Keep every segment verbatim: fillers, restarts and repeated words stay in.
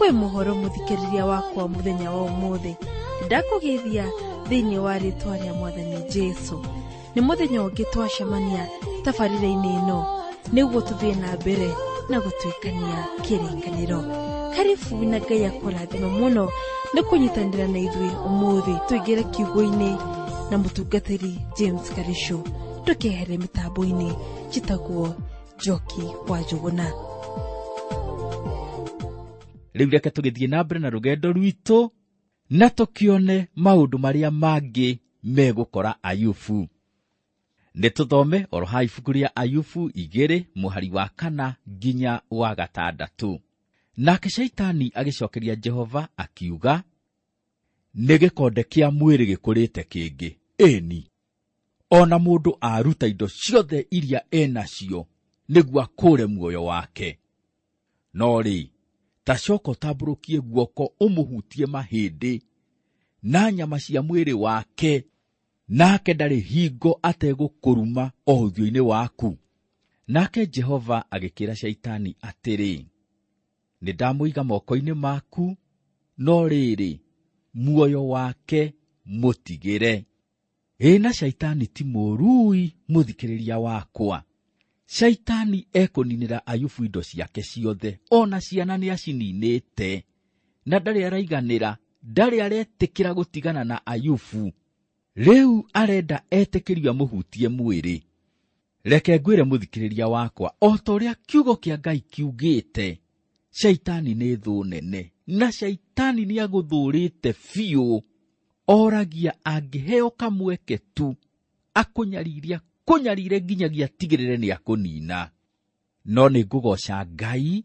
Wĩ mũhoro mũthikĩrĩria wakwa mũthenya wa ũmũthĩ, ndakũgeithia thĩinĩ wa rĩtwa rĩa Mwathani Jesu. Nĩ mũthenya ũngĩ twacemania tabarĩra-inĩ ĩno nĩguo tũthiĩ na mbere na gũtuĩkania kĩrĩkanĩro. Karibu na Ngai akũrathime mũno nĩ kũnyitanĩra na ithuĩ ũmũthĩ tũingĩre kiugo-inĩ na mũtungatĩri James Karisho. Tũkehere mĩtambo-inĩ njĩtagwo Njoki wa Njũgũna. Rĩu reke tũgĩthiĩ na mbere na rũgendo rwitũ na tũkĩone maũndũ marĩa mangĩ megũkora Ayubu. Nĩ tũthome oro ha ibuku rĩa Ayubu igĩrĩ mũhari wa kana nginya wa gatandatũ. Nake Shaitani agĩcokeria Jehova akiuga, nĩ gĩkonde kĩa mwĩrĩ gĩkũrĩte kĩngĩ, ĩni ona mũndũ aruta indo ciothe iria enacio nĩguo akũre muoyo wake. No rĩ, ta coka ũtambũrũkie guoko ũmũhutie mahĩndĩ na nyama cia mwĩrĩ wake, nake ndarĩ hingo ategũkũruma o ũthiũ-inĩ waku. Nake Jehova agĩkĩra Shaitani atĩrĩ, nĩ ndamũiga moko-inĩ maku, no rĩrĩ, muoyo wake mũtigĩre. Ĩ na Shaitani ti mũrui mũthikĩrĩria wakwa. Shaitani ekũninĩra Ayubu indo ciake ciothe, ona ciana nĩ acininĩte, na ndarĩ araiganĩra, ndarĩ aretĩkĩra gũtigana na Ayubu. Rĩu arenda etĩkĩrio amũhutie mwĩrĩ. Reke ngwĩre mũthikĩrĩria wakwa, o ta ũrĩa kiugo kĩa Ngai kiugĩte, Shaitani nĩ thũ nene, na Shaitani nĩ agũthũrĩte biũ. Oragia angĩheo kamweke tu, akũnyariria kũnyarire nginyagia atigĩrĩre nĩ akũnina. No nĩ ngũgoca Ngai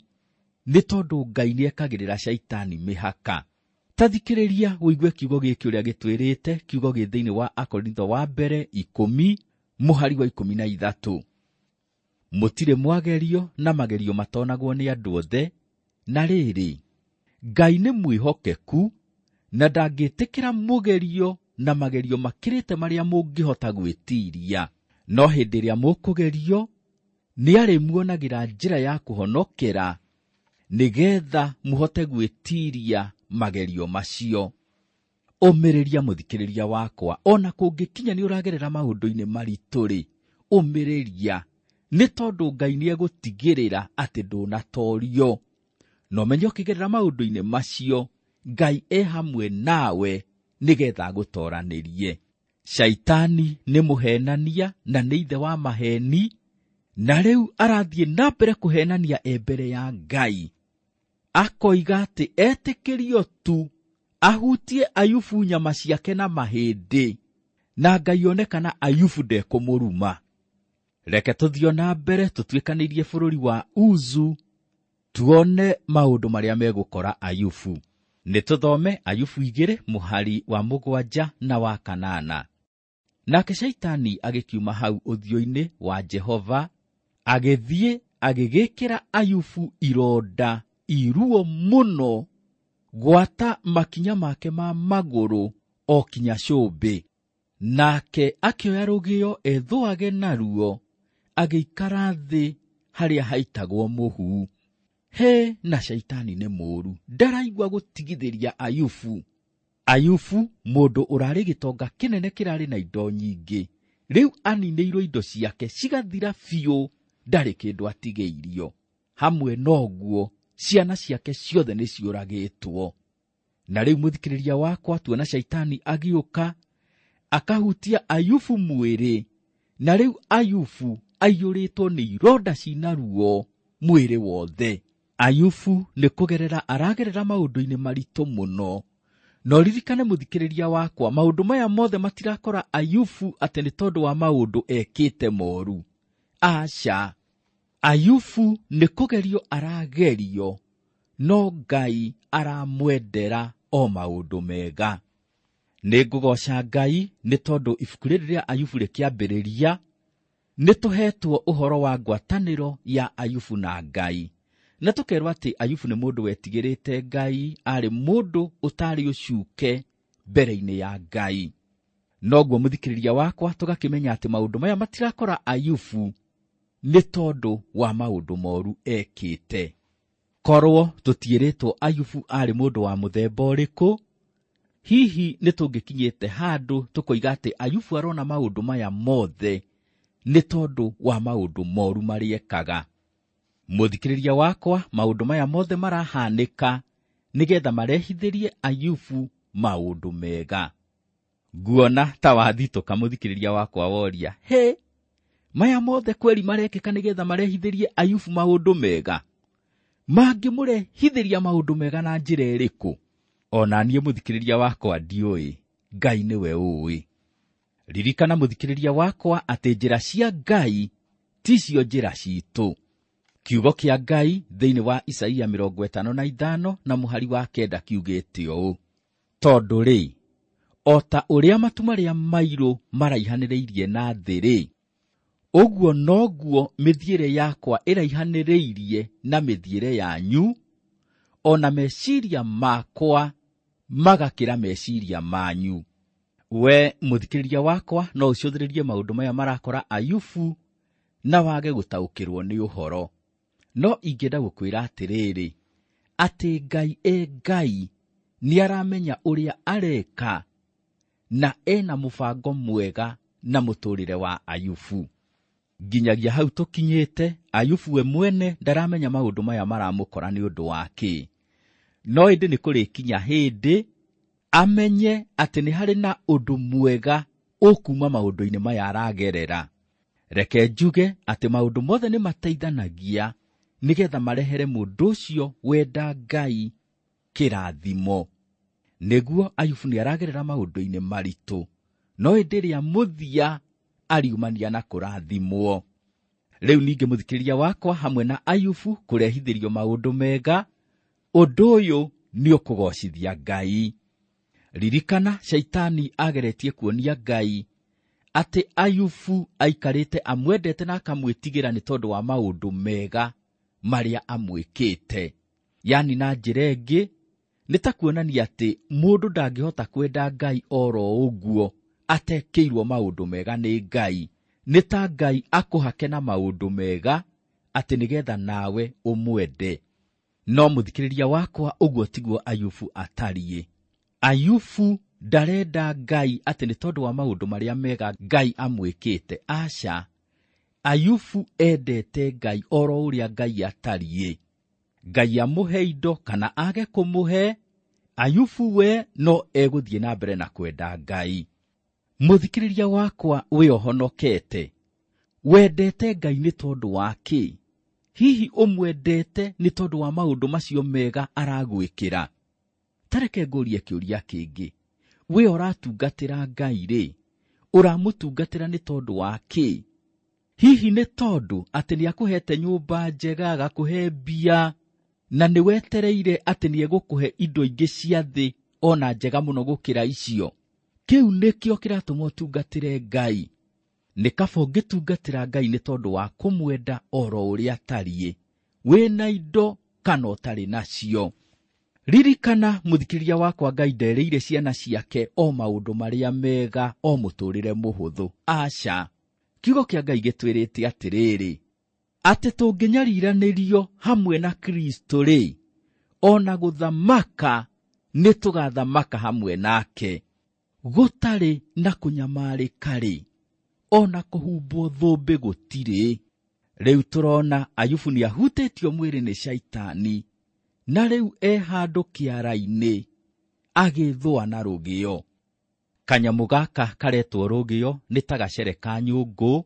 nĩ tondũ Ngai nĩ ekagĩrĩra Shaitani mĩhaka. Ta thikĩrĩria ũigue kiugo gĩkĩ ũrĩa gĩtwĩrĩte, kiugo gĩ thĩinĩ wa Akorintho wa mbere ikũmi mũhari wa ikũmi na ithatũ. Mũtirĩ mwagerio na magerio matonagwo nĩ andũ othe, na rĩrĩ, Ngai nĩ mwĩhokeku na ndangĩtĩkĩra mũgerio na magerio makĩrĩte marĩa mũngĩhota gwĩtiria. No hĩndĩ ĩrĩa mũkũgerio, nĩ arĩmuonagĩra njĩra ya kũhonokera, nĩgetha mũhote gwĩtiria magerio macio. Ũmĩrĩria mũthikĩrĩria wakwa, ona kũngĩkinya nĩ ũragerera maũndũ-inĩ maritũ-rĩ, ũmĩrĩria, nĩ tondũ Ngai nĩ egũtigĩrĩra atĩ ndũnatorio. No menye ũkĩgerera maũndũ-inĩ macio, Ngai e hamwe nawe nĩgetha agũtoranĩrie. Shaitani nĩ mũhenania na nĩ ithe wa maheni, na rĩu arathiĩ na mbere kũhenania e mbere ya Ngai. Akoiga atĩ etĩkĩrio tu ahutie Ayubu nyama ciake na mahĩndĩ, na Ngai one kana Ayubu ndekũmũruma. Reke tũthiĩ na mbere tũtuĩkanĩirie bũrũri wa Uzu, tuone maũndũ marĩa megũkora Ayubu. Nĩ tũthome Ayubu igĩrĩ mũhari wa mũgwanja na wa kanana. Nake Shaitani agĩkiuma hau ũthiũ-inĩ wa Jehova, agĩthiĩ agĩgĩkĩra Ayubu ironda iruo mũno, gwata makinya make ma magũrũ o kinya cũmbĩ. Nake akĩoya rũgĩo ethũage naruo, agĩikara thĩ harĩa haitagwo mũhu. He na Shaitani nĩ mũũru, ndaraigua gũtigithĩria Ayubu. Ayubu mũndũ ũrarĩ gĩtonga kĩnene kĩrarĩ na indo nyingĩ, rĩu aninĩirwo indo ciake cigathira biũ, ndarĩ kĩndũ atigĩirio. Hamwe noguo ciana ciake ciothe nĩ ciũragĩtwo. Na rĩu mũthikĩrĩria wakwa, tuona Shaitani agĩũka akahutia Ayubu mwĩrĩ, na rĩu Ayubu aiyũrĩtwo nĩ ironda cina ruo mwĩrĩ wothe. Ayubu nĩ kũgerera aragerera maũndũ-inĩ maritũ mũno. No ririkane mũthikĩrĩria wakwa, maũndũ maya mothe matirakora Ayubu atĩ nĩ tondũ wa maũndũ ekĩte moru. Aca, Ayubu nĩ kũgerio aragerio, no Ngai aramwendera o maũndũ mega. Nĩ ngũgoca Ngai nĩ tondũ ibuku rĩrĩ rĩa Ayubu rĩkĩambĩrĩria nĩ tũhetwo ũhoro wa ngwatanĩro ya Ayubu na Ngai. Na tũkerwo atĩ Ayubu nĩ mũndũ wetigĩrĩte Ngai, arĩ mũndũ ũtarĩ ũcuke mbere-inĩ ya Ngai. Noguo mũthikĩrĩria wakwa, tũgakĩmenya atĩ maũndũ maya matirakora Ayubu nĩ tondũ wa maũndũ moru ekĩte. Korwo tũtiĩrĩtwo Ayubu arĩ mũndũ wa mũthemba ũrĩkũ, hihi nĩ tũngĩkinyĩte handũ tũkoiga atĩ Ayubu arona maũndũ maya mothe nĩ tondũ wa maũndũ moru marĩa ekaga. Mũthikĩrĩria wakwa, maũndũ maya mothe marahanĩka nĩgetha marehithĩrie Ayubu maũndũ mega. Nguona ta wathitũka mũthikĩrĩria wakwa woria, he maya mothe kweri marekĩka nĩgetha marehithĩrie Ayubu maũndũ mega? Mangĩmũrehithĩria maũndũ mega na njĩra ĩrĩkũ? Ona niĩ mũthikĩrĩria wakwa ndiũĩ, Ngai nĩwe ũĩ. Ririkana mũthikĩrĩria wakwa atĩ njĩra cia Ngai ticio njĩra citũ. Kiugo kĩa Ngai thĩinĩ wa Isaia mĩrongo ĩtano na ithano na mũhari wa kenda kiugĩte ũũ: tondũ rĩ, o ta ũrĩa matu marĩa mairũ maraihanĩrĩirie na thĩ rĩ, ũguo noguo mĩthiĩre yakwa ĩraihanĩrĩirie na mĩthiĩre yanyu, o na meciria makwa magakĩra meciria manyu. We mũthikĩrĩria wakwa, no ũcũthĩrĩrie maũndũ maya marakora Ayubu na wage gũtaũkĩrwo nĩ ũhoro. No ingĩenda gũkwĩra atĩrĩrĩ, atĩ Ngai e Ngai nĩaramenya ũrĩa areka na ena mũbango mwega na mũtũrĩre wa Ayubu. Nginyagia hau tũkinyĩte, Ayubu we mwene ndaramenya maũndũ maya maramũkora nĩ ũndũ wa kĩ. No ĩndĩ nĩ kũrĩkinya hĩndĩ amenye atĩ nĩ harĩ na ũndũ mwega ũkuma maũndũ-inĩ maya aragerera. Reke njuge atĩ maũndũ mothe nĩ mateithanagia nĩgetha marehere mũndũ ũcio wenda Ngai kĩrathimo. Nĩguo Ayubu nĩ aragerera maũndũ-inĩ maritũ, no ĩndĩ rĩa mũthia ariumania na kũrathimwo. Rĩu ningĩ mũthikĩrĩria wakwa, hamwe na Ayubu kũrehithĩrio maũndũ mega, ũndũ ũyũ nĩ ũkũgocithia Ngai. Ririkana Shaitani ageretie kuonia Ngai atĩ Ayubu aikarĩte amwendete na akamwĩtigĩra nĩ tondũ wa maũndũ mega marĩa amwĩkĩte. Yani na njĩra ĩngĩ nĩ ta kuonania atĩ mũndũ ndangĩhota kwenda Ngai oro ũguo atekĩirwo maũndũ mega nĩ Ngai. Nĩ ta Ngai akũhake na maũndũ mega atĩ nĩgetha nawe ũmwende. No mũthikĩrĩria wakwa, ũguo tiguo Ayubu atariĩ. Ayubu ndarenda Ngai atĩ nĩ tondũ wa maũndũ marĩa mega Ngai amwĩkĩte. Aca, Ayubu endete Ngai oro ũrĩa Ngai atariĩ. Ngai amũhe indo kana age kũmũhe, Ayubu we no egũthiĩ na mbere na kwenda Ngai. Mũthikĩrĩria wakwa, wĩ ũhonokete, wendete Ngai nĩ tondũ wa kĩ? Hihi ũmwendete nĩ tondũ wa maũndũ macio mega aragwĩkĩra? Tareke ngũrie kĩũria kĩngĩ. We ũratungatĩra Ngai rĩ, ũramũtungatĩra nĩ tondũ wa kĩ? Hihi nĩ tondũ atĩ nĩakũhete nyũmba njega, agakũhe mbia, na nĩwetereire atĩ nĩegũkũhe indo ingĩ cia thĩ ona njega mũno gũkĩra icio? Kĩu nĩkĩo kĩratũma ũtungatĩre Ngai. Nĩ kaba ũngĩtungatĩra Ngai nĩ tondũ wa kũmwenda oro ũrĩa atariĩ, wĩna indo kana ũtarĩ nacio. Ririkana mũthikĩrĩria wakwa, Ngai nderĩire ciana ciake o maũndũ marĩa mega, o mũtũrĩre mũhũthũ. Aca, kiugo kĩa Ngai gĩtwĩrĩte atĩrĩrĩ, atĩ tũngĩnyariranĩrio hamwe na Kristo rĩ, ona gũthamaka nĩ tũgathamaka hamwe nake. Gũtarĩ na kũnyamarĩka rĩ, ona kũhumbwo thũmbĩ gũtirĩ. Rĩu tũrona Ayubu nĩahutĩtio mwĩrĩ nĩ Shaitani, na rĩu e handũ kĩara-inĩ agĩthũa na rũgĩo. Kanyamũ gaka karetwo rũgĩo nĩ ta gacere ka nyũngũ,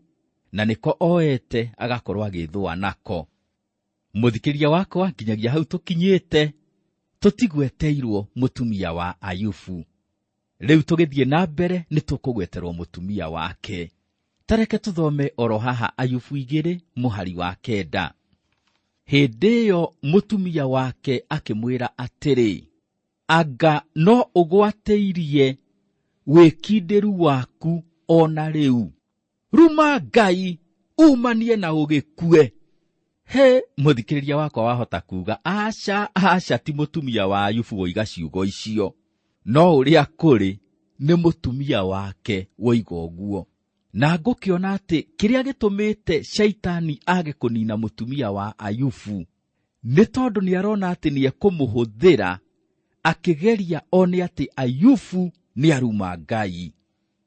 na nĩko oete agakorwo agĩthũa nako. Mũthikĩrĩria wakwa, nginyagia hau tũkinyĩte, tũtigweteirwo mũtumia wa Ayubu. Rĩu tũgĩthiĩ na mbere nĩ tũkũgweterwo mũtumia wake. Tareke tũthome oro haha Ayubu igĩrĩ mũhari wa kenda. Hĩndĩ ĩyo mũtumia wake akĩmwĩra atĩrĩ, anga no ũgwatĩirie wĩkindĩru waku ona rĩu? Ruma Ngai, umanie na ũgĩkue. He, mũthikĩrĩria wakwa wahota kuga, aca, aca, ti mũtumia wa Ayubu woiga ciugo icio. No ũrĩa kũrĩ nĩ mũtumia wake woiga ũguo. Na ngũkĩona atĩ kĩrĩa gĩtũmĩte Shaitani age kũnina mũtumia wa Ayubu Nĩ tondũ nĩ arona atĩ nĩ ekũmũhũthĩra akĩgeria one atĩ Ayubu nĩ aruma Ngai.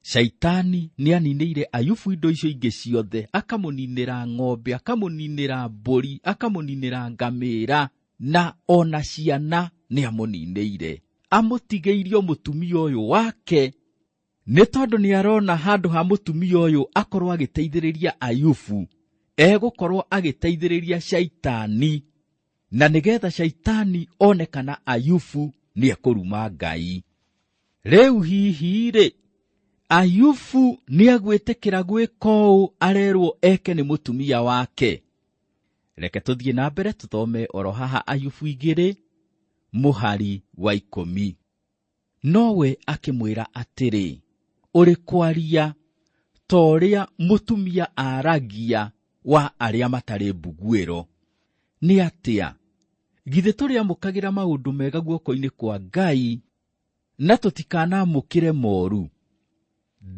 Shaitani nĩ aninĩire Ayubu indo icio ingĩ ciothe, akamũninĩra ng'ombe, akamũninĩra mbũri, akamũninĩra ngamĩra, na ona ciana nĩ amũninĩire. Amũtigĩirio mũtumia ũyũ wake nĩ tondũ nĩ arona handũ ha mũtumia ũyũ akorwo agĩteithĩrĩria Ayubu, egũkorwo agĩteithĩrĩria Shaitani, na nĩgetha Shaitani one kana Ayubu nĩ ekũruma Ngai. Rĩu hihi rĩ, Ayubu nĩ agwĩtĩkĩra gwĩka ũũ arerwo eke nĩ mũtumia wake? Reke tũthiĩ na mbere tũthome oro haha Ayubu igĩrĩ mũhari wa ikũmi. Nowe akĩmwĩra atĩrĩ, ũrĩ kwaria ta ũrĩa mũtumia aragia wa arĩa matarĩ mbuguĩro. Nĩ atĩa? Githĩ tũrĩamũkagĩra maũndũ mega guoko-inĩ kwa Ngai na tũtikanamũkĩre moru?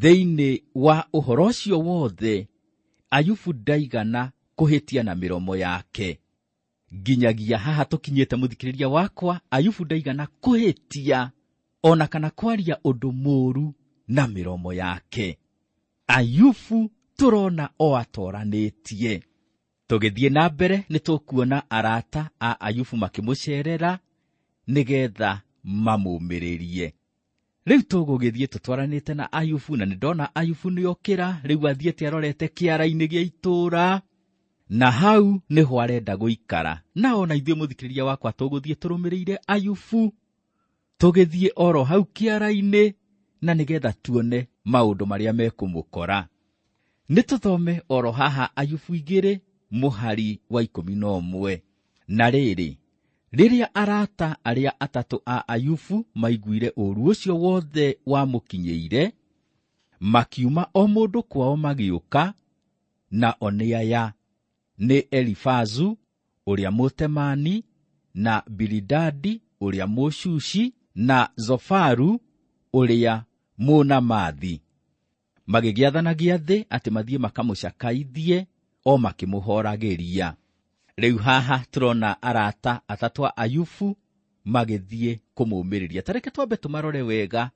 Thĩinĩ wa ũhoro ũcio wothe, Ayubu ndaigana kũhĩtia na mĩromo yake. Nginyagia haha tũkinyĩte mũthikĩrĩria wakwa, Ayubu ndaigana kũhĩtia ona kana kwaria ũndũ mũũru na mĩromo yake. Ayubu tũrona o atoranĩtie. Tũgĩthiĩ na mbere nĩ tũkuona arata a Ayubu makĩmũcerera nĩgetha mamũmĩrĩrie. Rĩu tũgũgĩthiĩ tũtwaranĩte na Ayubu, na nĩndona Ayubu nĩokĩra, rĩu athiĩte arorete kĩara-inĩ gĩa itũũra, na hau nĩho arenda gũikara. Na ona ithuĩ mũthikĩrĩria wakwa tũgũthiĩ tũrũmĩrĩire Ayubu, tũgĩthiĩ oro hau kĩara-inĩ, na nĩgetha tuone maũndũ marĩa mekũmũkora. Nĩ tũthome oro haha Ayubu igĩrĩ mũhari wa ikũmi na ũmwe. Na rĩrĩ, rĩrĩa arata arĩa atatũ a Ayubu maiguire ũũru ũcio wothe wamũkinyĩire, makiuma o mũndũ kwao magĩũka, na o nĩ aya: nĩ Elifazu ũrĩa Mũtemani, na Bilidadi ũrĩa Mũshushi, na Zofaru ũrĩa Mũnamathi. Magĩgĩathana gĩathĩ atĩ mathiĩ makamũcakaithie o makĩmũhoragĩria. Rĩu haha tũrona arata atatũ a Ayubu magĩthiĩ kũmũmĩrĩria. Ta reke twambe tũmarore wega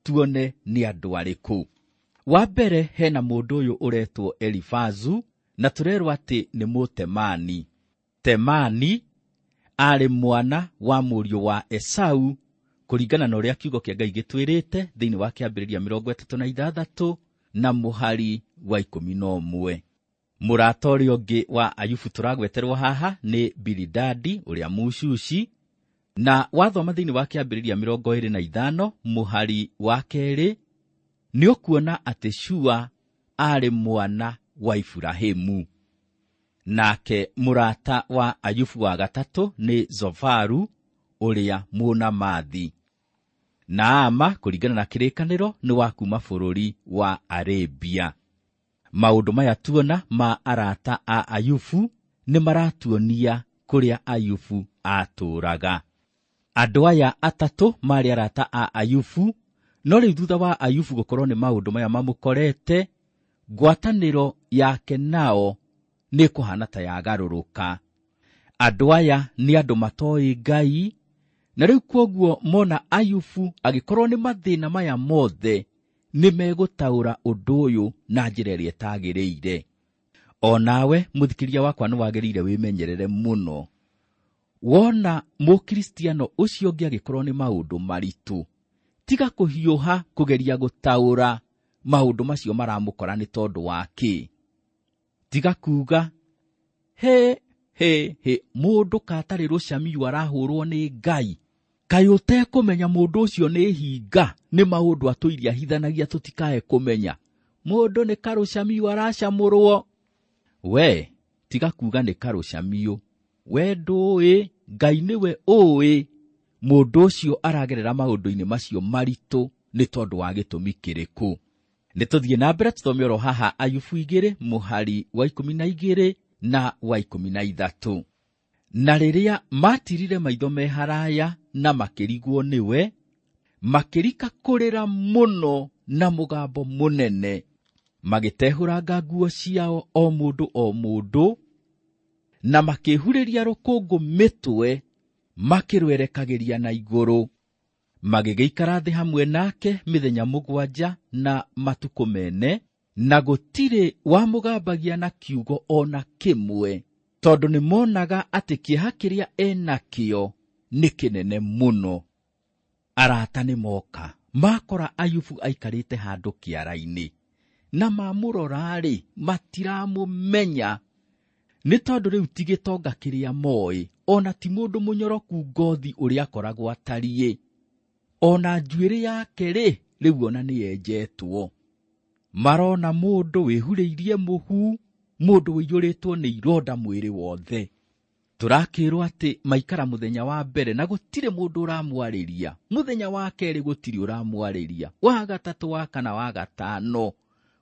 tuone nĩ andũ arĩkũ. Wa mbere hena mũndũ ũyũ ũretwo Elifazu, na tũrerwo atĩ nĩ Mũtemani. Temani arĩ mwana wa mũriũ wa Esau, kũringana na ũrĩa kiugo kĩa Ngai gĩtwĩrĩte thĩinĩ wa kĩambĩrĩria mĩrongo ĩtatũ na ithathatũ na mũhari wa ikũmi na ũmwe. Mũrata ũrĩa ũngĩ wa Ayubu tũragweterwo haha nĩ Bilidadi ũrĩa Mũshushi, na wathoma thĩinĩ wa kĩambĩrĩria mĩrongo ĩrĩ na ithano mũhari wa kerĩ nĩ ũkuona atĩ Shua arĩ mwana wa Iburahĩmu. Nake mũrata wa Ayubu wa gatatũ nĩ Zofaru ũrĩa Mũnamathi. Naama kũringana na kĩrĩkanĩro nĩ wa kuma bũrũri wa Arabia. Maũndũ maya tuona ma arata a Ayubu nĩ maratuonia kũrĩa Ayubu atũũraga. Andũ aya atatũ marĩ arata a Ayubu, no rĩu thutha wa Ayubu gũkorwo nĩ maũndũ maya mamũkorete, ngwatanĩro yake nao nĩ kũhana ta yagarũrũka. Andũ aya nĩ andũ matoĩ Ngai, na rĩu kwoguo mona Ayubu agĩkorwo nĩ mathĩna maya mothe nĩ megũtaũra ũndũ ũyũ na njĩra ĩrĩa ĩtagĩrĩire. O nawe mũthikĩria wakwa nĩ wagĩrĩire wĩmenyerere mũno. Wona mũkristiano ũcio ũngĩ agĩkorwo nĩ maũndũ maritũ, tiga kũhiũha kũgeria gũtaũra maũndũ macio maramũkora nĩ tondũ wa kĩ. Tiga kuga he he he, mũndũ katarĩ rũcamiũ arahũrwo nĩ Ngai. Kaĩ ũtekũmenya mũndũ ũcio nĩ hinga, nĩ maũndũ atũirie ahithanagia tũtikae kũmenya. Mũndũ nĩ karũcamiũ aracamũrwo. We tiga kuga nĩ karũcamiũ. We ndũĩ, Ngai nĩwe ũĩ mũndũ ũcio aragerera maũndũ-inĩ macio maritũ nĩ tondũ wa gĩtũmi kĩrĩkũ. Nĩ tũthiĩ na mbere tũthome oro haha Ayubu igĩrĩ mũhari wa ikũmi na igĩrĩ na wa ikũmi na ithatũ. Na rĩrĩa matirire maitho me haraya na makĩrigwo nĩwe, makĩrika kũrĩra mũno na mũgambo mũnene, magĩtehũranga nguo ciao o mũndũ o mũndũ, na makĩhurĩria rũkũngũ mĩtwe makĩrwerekagĩria na igũrũ. Magĩgĩikara thĩ hamwe nake mĩthenya mũgwanja na matukũ mene, na gũtirĩ wamũgambagia na kiugo ona kĩmwe, tondũ nĩmonaga atĩ kĩeha kĩrĩa enakĩo nĩ kĩnene mũno. Arata nĩmoka makora Ayubu aikarĩte handũ kĩara-inĩ, na mamũrora-rĩ matiramũmenya, nĩ tondũ rĩu ti gĩtonga kĩrĩa moĩ, ona ti mũndũ mũnyoroku ngothi ũrĩa akoragwo atariĩ, ona njuĩrĩ yake rĩ rĩu ona nĩyenjetwo. Marona mũndũ wĩhurĩirie mũhu, mũndũ ũiyũrĩtwo nĩ ironda mwĩrĩ wothe. Tũrakĩrwo atĩ maikara mũthenya wa mbere na gũtirĩ mũndũ ũramwarĩria, mũthenya wa kerĩ gũtirĩ ũramwarĩria, wa gatatũ, wa kana, wa gatano,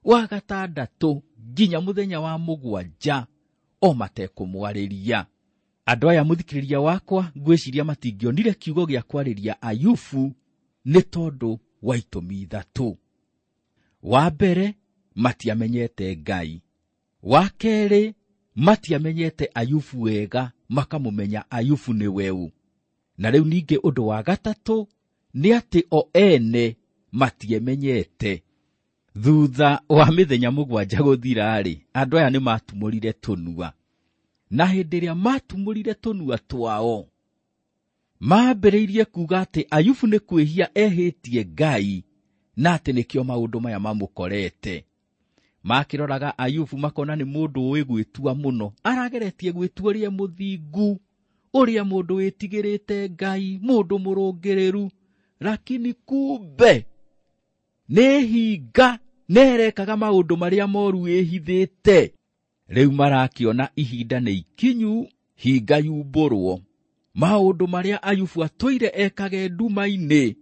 wa gatandatũ, nginya mũthenya wa mũgwanja o matekũmwarĩria. Andũ aya mũthikĩrĩria wakwa ngwĩciria matingĩonire kiugo gĩa kwarĩria Ayubu nĩ tondũ wa itũmi ithatũ. Wa mbere, matiamenyete Ngai. Wa kerĩ, matiamenyete Ayubu wega, makamũmenya Ayubu nĩ weũ. Na rĩu ningĩ ũndũ wa gatatũ nĩ atĩ o ene matiemenyete. Thutha wa mĩthenya mũgwanja gũthira-rĩ, andũ aya nĩmatumũrire tũnua. Na hĩndĩ ĩrĩa matumũrire tũnua twao, mambĩrĩirie kuga atĩ Ayubu nĩ kwĩhia ehĩtie Ngai, na atĩ nĩkĩo maũndũ maya mamũkorete. Makĩroraga Ayubu makona nĩ mũndũ ũĩ gwĩtua mũno, arageretie gwĩtua ũrĩa mũthingu, ũrĩa mũndũ wĩtigĩrĩte Ngai, mũndũ mũrũngĩrĩru, lakini kumbe nĩ hinga nerekaga maũndũ marĩa moru ĩhithĩte. Rĩu marakĩona ihinda nĩ ikinyu, hinga yumbũrwo. Maũndũ marĩa Ayubu atũire ekage nduma-inĩ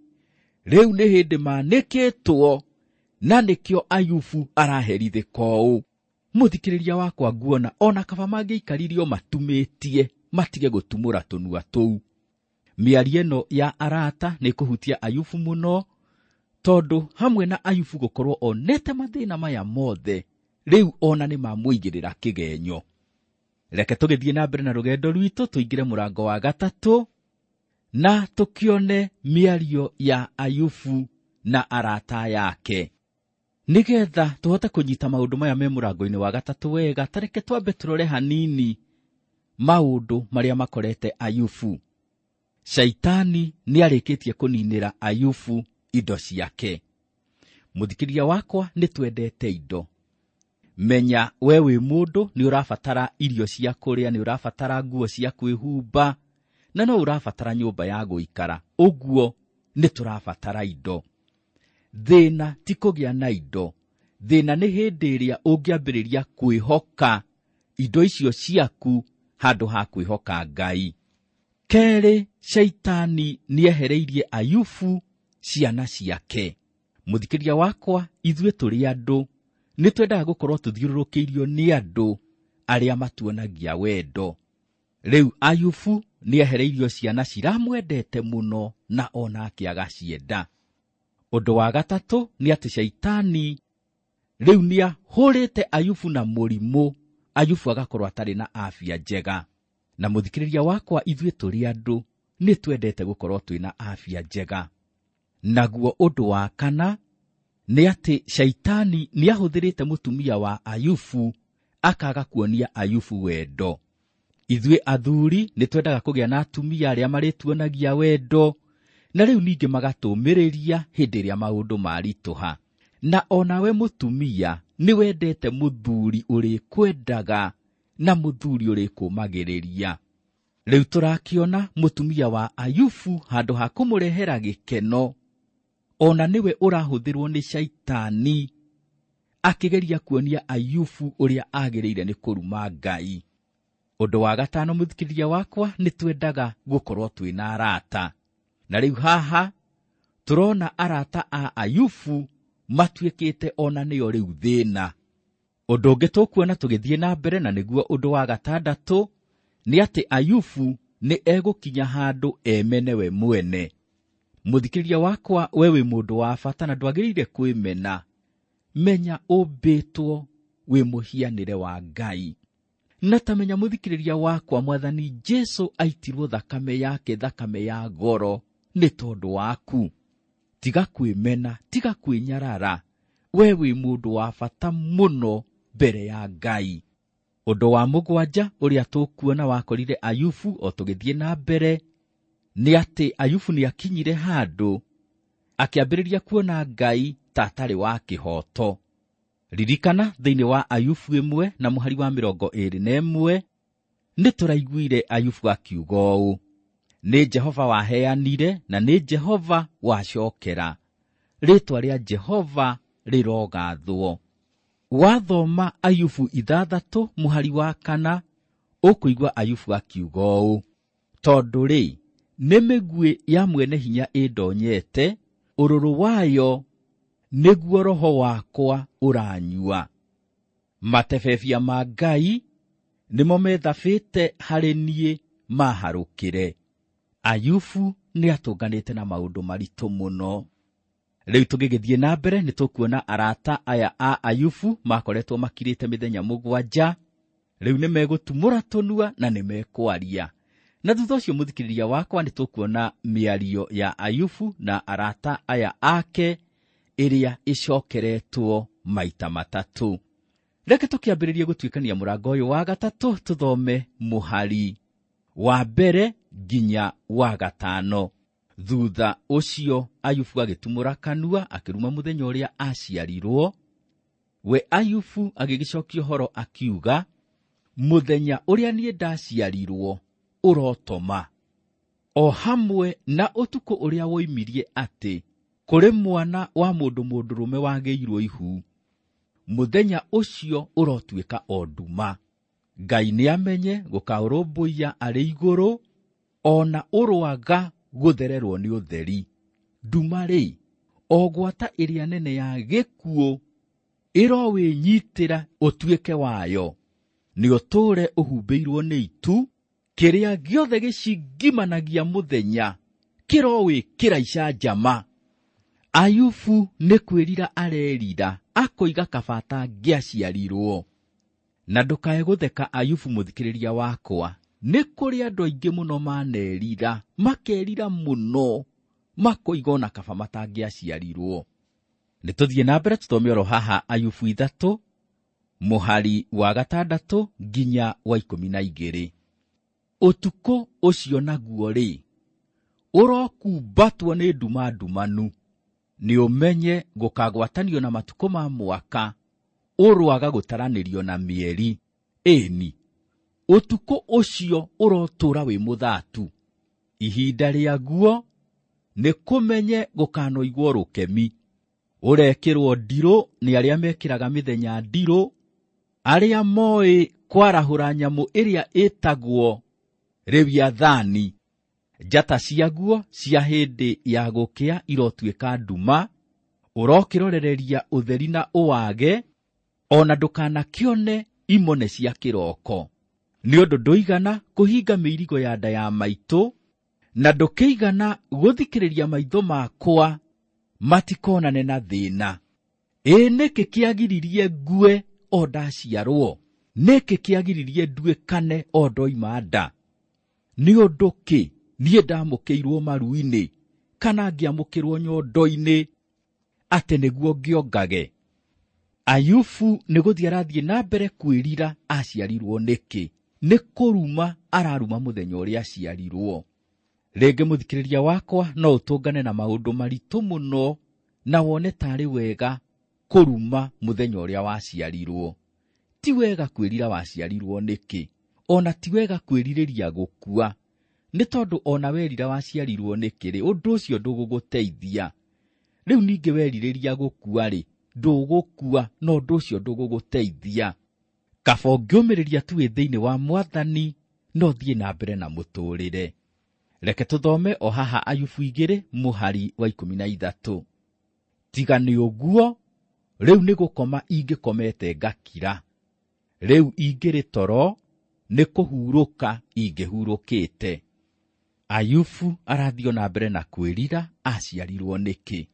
rĩu nĩ hĩndĩ manĩkĩtwo, na nĩkĩo Ayubu araherithĩka ũũ. Mũthikĩrĩria wakwa nguona ona kaba mangĩikaririo matumĩtie matige gũtumũra tũnua tũu. Mĩario ĩno ya arata nĩ kũhutia Ayubu mũno, tondũ hamwe na Ayubu gũkorwo onete mathĩna maya mothe, rĩu ona nĩ mamũigĩrĩra kĩgenyo. Reke tũgĩthiĩ na mbere na rũgendo rwitũ tũingĩre mũrango wa gatatũ na tũkĩone mĩario ya Ayubu na arata yake, nĩgetha tũhote kũnyita maũndũ maya me mũrango-inĩ wa gatatũ wega. Ta reke twambe tũrore hanini maũndũ marĩa makorete Ayubu. Shaitani nĩarĩkĩtie kũninĩra Ayubu indo ciake. Mũthikĩrĩria wakwa, nĩ twendete indo. Menya we wĩ mũndũ nĩ ũrabatara irio cia kũrĩa, nĩ ũrabatara nguo cia kwĩhumba, na no ũrabatara nyũmba ya gũikara. Ũguo nĩ tũrabatara indo. Thĩna ti kũgĩa na indo, thĩna nĩ hĩndĩ ĩrĩa ũngĩambĩrĩria kwĩhoka indo icio ciaku handũ ha kwĩhoka Ngai. Kerĩ, Shaitani nĩehereirie Ayubu ciana ciake. Mũthikĩrĩria wakwa, ithuĩ tũrĩ andũ nĩ twendaga gũkorwo tũthiũrũrũkĩirio nĩ andũ arĩa matuonagia wendo. Rĩu Ayubu nĩehereirio ciana ciramwendete mũno na onake agacienda. Ũndũ wa gatatũ nĩ atĩ Shaitani rĩu nĩahũrĩte Ayubu na mũrimũ, Ayubu agakorwo atarĩ na afya njega. Na mũthikĩrĩria wakwa, ithuĩ tũrĩ andũ nĩ twendete gũkorwo twĩna afya njega. Naguo ũndũ wa kana nĩ atĩ Shaitani nĩahũthĩrĩte mũtumia wa Ayubu akaga kuonia Ayubu wendo. Ithuĩ athuri nĩ twendaga kũgĩa na atumia arĩa marĩtuonagia wendo, na rĩu ningĩ magatũmĩrĩria hĩndĩ ĩrĩa maũndũ maritũha. Na onawe mũtumia nĩ wendete mũthuri ũrĩkwendaga na mũthuri ũrĩkũmagĩrĩria. Rĩu tũrakĩona mũtumia wa Ayubu handũ ha kũmũrehera gĩkeno, ona nĩwe ũrahũthĩrwo nĩ Shaitani akĩgeria kuonia Ayubu ũrĩa agĩrĩire nĩ kũruma Ngai. Ũndũ wa gatano, mũthikĩrĩria wakwa, nĩ twendaga gũkorwo twĩna arata. Na rĩu haha tũrona arata a Ayubu matuĩkĩte ona nĩo rĩu thĩna. Ũndũ ũngĩ tũkuona tũgĩthiĩ na mbere, na nĩguo ũndũ wa gatandatũ, nĩ atĩ Ayubu nĩ egũkinya handũ emene we mwene. Mũthikĩrĩria wakwa, we wĩ mũndũ wa bata na ndwagĩrĩire kwĩmena. Menya ũmbĩtwo wĩ mũhianĩre wa Ngai, Na tamenya mũthikĩrĩria wakwa, Mwathani Jesu aitirwo thakame yake, thakame ya goro nĩ tondũ waku. Tiga kwĩmena, tiga kwĩnyarara, we wĩ mũndũ wa bata mũno mbere ya Ngai. Ũndũ wa mũgwanja ũrĩa tũkuona wakorire Ayubu o tũgĩthiĩ na mbere nĩ atĩ Ayubu nĩ akinyire handũ akĩambĩrĩria kuona Ngai ta atarĩ wa kĩhooto. Ririkana thĩinĩ wa Ayubu ĩmwe na mũhari wa mĩrongo ĩĩrĩ na ĩmwe nĩ tũraiguire Ayubu akiuga ũũ: nĩ Jehova waheanire na nĩ Jehova wacokera, rĩĩtwa rĩa Jehova rĩrogathwo. Wathoma Ayubu ithathatũ mũhari wa kana ũkũigua Ayubu akiuga ũũ: tondũ rĩ, nĩ mĩguĩ ya mwene hinya ĩndonyete, ũrũrũ wayo nĩguo roho wakwa ũranyua. Matebebia ma Ngai nĩmo methabĩte harĩ niĩ maharũkĩre. Ayubu nĩ atũnganĩte na maũndũ maritũ mũno. Rĩu tũgĩgĩthiĩ na mbere nĩ tũkuona arata aya a Ayubu makoretwo makirĩte mĩthenya mũgwanja. Rĩu nĩ megũtumũra tũnua na nĩ mekwaria. Na thutha ũcio mũthikĩrĩria wakwa nĩ tũkuona mĩario ya Ayubu na arata aya ake ĩrĩa ĩcokeretwo maita matatũ. Reke tũkĩambĩrĩrie gũtuĩkania mũrango ũyũ wa gatatũ, tũthome mũhari wa mbere nginya wa gatano. Thutha ũcio Ayubu agĩtumũra kanua akĩruma mũthenya ũrĩa aciarirwo. We Ayubu agĩgĩcokia ũhoro akiuga, mũthenya ũrĩa niĩ ndaciarirwo ũrotoma, o hamwe na ũtukũ ũrĩa woimirie atĩ kũrĩ mwana wa mũndũ mũndũrũme wagĩirwo ihu, mũthenya ũcio ũrotuĩka o nduma. Ngai nĩamenye gũkaũrũmbũiya arĩ igũrũ, ona ũrwaga gũthererwo nĩ ũtheri. Nduma rĩ, o gwata ĩrĩa nene ya gĩkuũ ĩrowĩnyitĩra ũtuĩke wayo, nĩ ũtũũre ũhumbĩirwo nĩ itu, kĩrĩa gĩothe gĩcingimanagia mũthenya kĩrowĩkĩra icanjama. Ayubu nĩ kwĩrira arerira, akoiga kaba atangĩaciarirwo. Na ndũkae gũtheka Ayubu mũthikĩrĩria wakwa, nĩ kũrĩ andũ aingĩ mũno manerira, makerira mũno, makoiga ona kaba matangĩaciarirwo. Nĩ tũthiĩ na mbere tũthome oro haha Ayubu ithatũ mũhari wa gatandatũ nginya wa ikũmi na igĩrĩ. Ũtukũ ũcio naguo rĩ, ũrokumbatwo nĩ nduma ndumanu, nĩ ũmenye gũkagwatanio na matukũ ma mwaka, ũrwaga gũtaranĩrio na mĩeri. Ĩni, ũtukũ ũcio ũrotũũra wĩ mũthatu, ihinda rĩaguo nĩ kũmenye gũkanoigwo rũkemi. Ũrekĩrwo ndirũ nĩ arĩa mekĩraga mĩthenya ndirũ, arĩa moĩ kwarahũra nyamũ ĩrĩa ĩtagwo Lewiathani. Njata ciaguo cia hĩndĩ ya gũkĩa irotuĩka nduma, ũrokĩrorereria ũtheri na ũwage, ona ndũkanakĩone imone cia kĩroko. Nĩ ũndũ ndũigana kũhinga mĩirigo ya nda ya maitũ, na ndũkĩigana gũthikĩrĩria maitho makwa matikonane na thĩna. Ĩ nĩkĩ kĩagiririe ngue o ndaciarwo? Nĩkĩ kĩagiririe nduĩkane o ndoima nda? Nĩ ũndũ kĩ niĩ ndamũkĩirwo maru-inĩ, kana ngĩamũkĩrwo nyondo-inĩ, atĩ nĩguo ngĩongage? Ayubu nĩ gũthiĩ arathiĩ na mbere kwĩrira aciarirwo nĩkĩ. Nĩ kũruma araruma mũthenya ũrĩa aciarirwo. Rĩngĩ mũthikĩrĩria wakwa no ũtũngane na maũndũ maritũ mũno na wone tarĩ wega kũruma mũthenya ũrĩa waciarirwo. Ti wega kwĩrira waciarirwo nĩkĩ, ona ti wega kwĩrirĩria gũkua, nĩ tondũ ona werira waciarirwo nĩkĩ rĩ, ũndũ ũcio ndũgũgũteithia. Rĩu ningĩ werirĩria gũkua rĩ, ndũgũkua, na ũndũ ũcio ndũgũgũteithia. Kaba ũngĩũmĩrĩria tu wĩ thĩinĩ wa Mwathani, no thiĩ na mbere na mũtũũrĩre. Reke tũthome o haha Ayubu igĩrĩ mũhari wa ikũmi na ithatũ. Tiga nĩ ũguo, rĩu nĩ gũkoma ingĩkomete ngakira, rĩu ingĩrĩ toro nĩ kũhurũka ingĩhurũkĩte. Ayubu arathiĩ na mbere na kwĩrira aciarirwo nĩkĩ.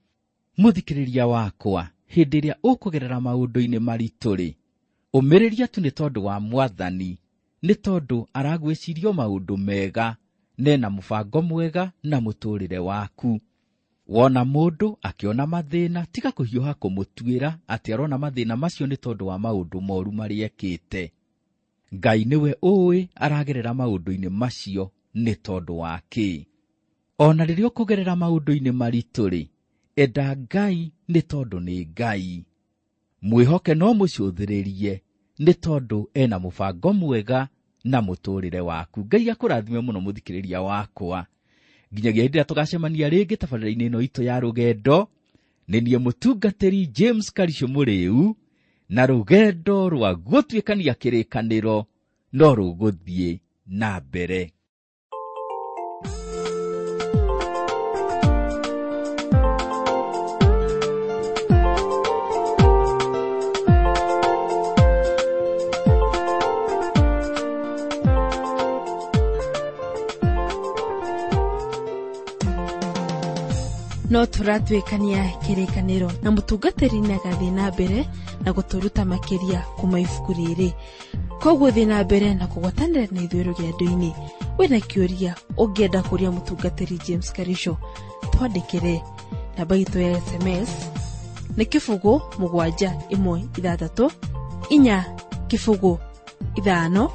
Mũthikĩrĩria wakwa, hĩndĩ ĩrĩa ũkũgerera maũndũ-inĩ maritũ rĩ, ũmĩrĩria tu nĩ tondũ wa Mwathani, nĩ tondũ aragwĩciria maũndũ mega nena mũbango mwega na mũtũrĩre waku. Wona mũndũ akĩona mathĩna, tiga kũhiũha kũmũtuĩra atĩ arona mathĩna macio nĩ tondũ wa maũndũ moru marĩa ekĩte. Ngai nĩwe ũĩ aragerera maũndũ-inĩ macio nĩ tondũ wa kĩ. Ona rĩrĩa ũkũgerera maũndũ-inĩ maritũ-rĩ, enda Ngai nĩ tondũ nĩ Ngai. Mwĩhoke no mũcũthĩrĩrie nĩ tondũ ena mũbango mwega na mũtũrĩre waku. Ngai akũrathime mũno mũthikĩrĩria wakwa. Nginyagia hĩndĩ ĩrĩa tũgacemania rĩngĩ tabarĩra-inĩ ĩno itũ ya rũgendo, nĩ niĩ mũtungatĩri James Karisho Mũrĩu, na rũgendo rwa gũtuĩkania kĩrĩkanĩro no rũgũthiĩ na mbere. No tũratuĩkania kĩrĩkanĩro na mũtungatĩri nĩagathiĩ na mbere na gũtũruta makĩria kuma ibuku rĩrĩ. Koguo thiĩ na mbere na kũgwatanĩra na ithuĩ rũgendo-inĩ. Wĩna kĩũria ũngĩenda kũria mũtungatĩri James Karisho, twandĩkĩre. Namba itũ ya S M S nĩ kĩbũgũ mũgwanja ĩmwe ithathatũ inya kĩbũgũ ithano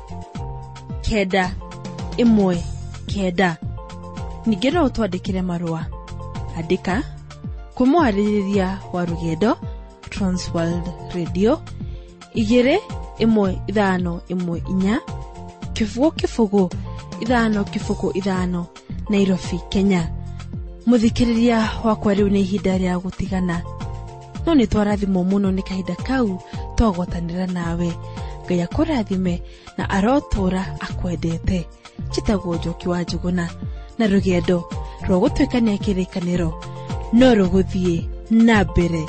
kenda ĩmwe kenda. Ningĩ no ũtwandĩkĩre marũa. Andĩka kwĩ mwarĩrĩria wa rũgendo Transworld Radio igĩrĩ ĩmwe ithano ĩmwe inya kĩbũgũ kĩbũgũ ithano kĩbũgũ ithano Nairobi, Kenya. Mũthikĩrĩria wakwa, rĩu nĩ ihinda rĩa gũtigana, no nĩ twarathimwo mũno nĩ kahinda kau twagwatanĩra nawe. Ngai akũrathime na arotũra akwendete. Njĩtagwo Njoki wa Njũgũna, na rũgendo rwa gũtuĩkania kĩrĩkanĩro no rũgũthiĩ na mbere.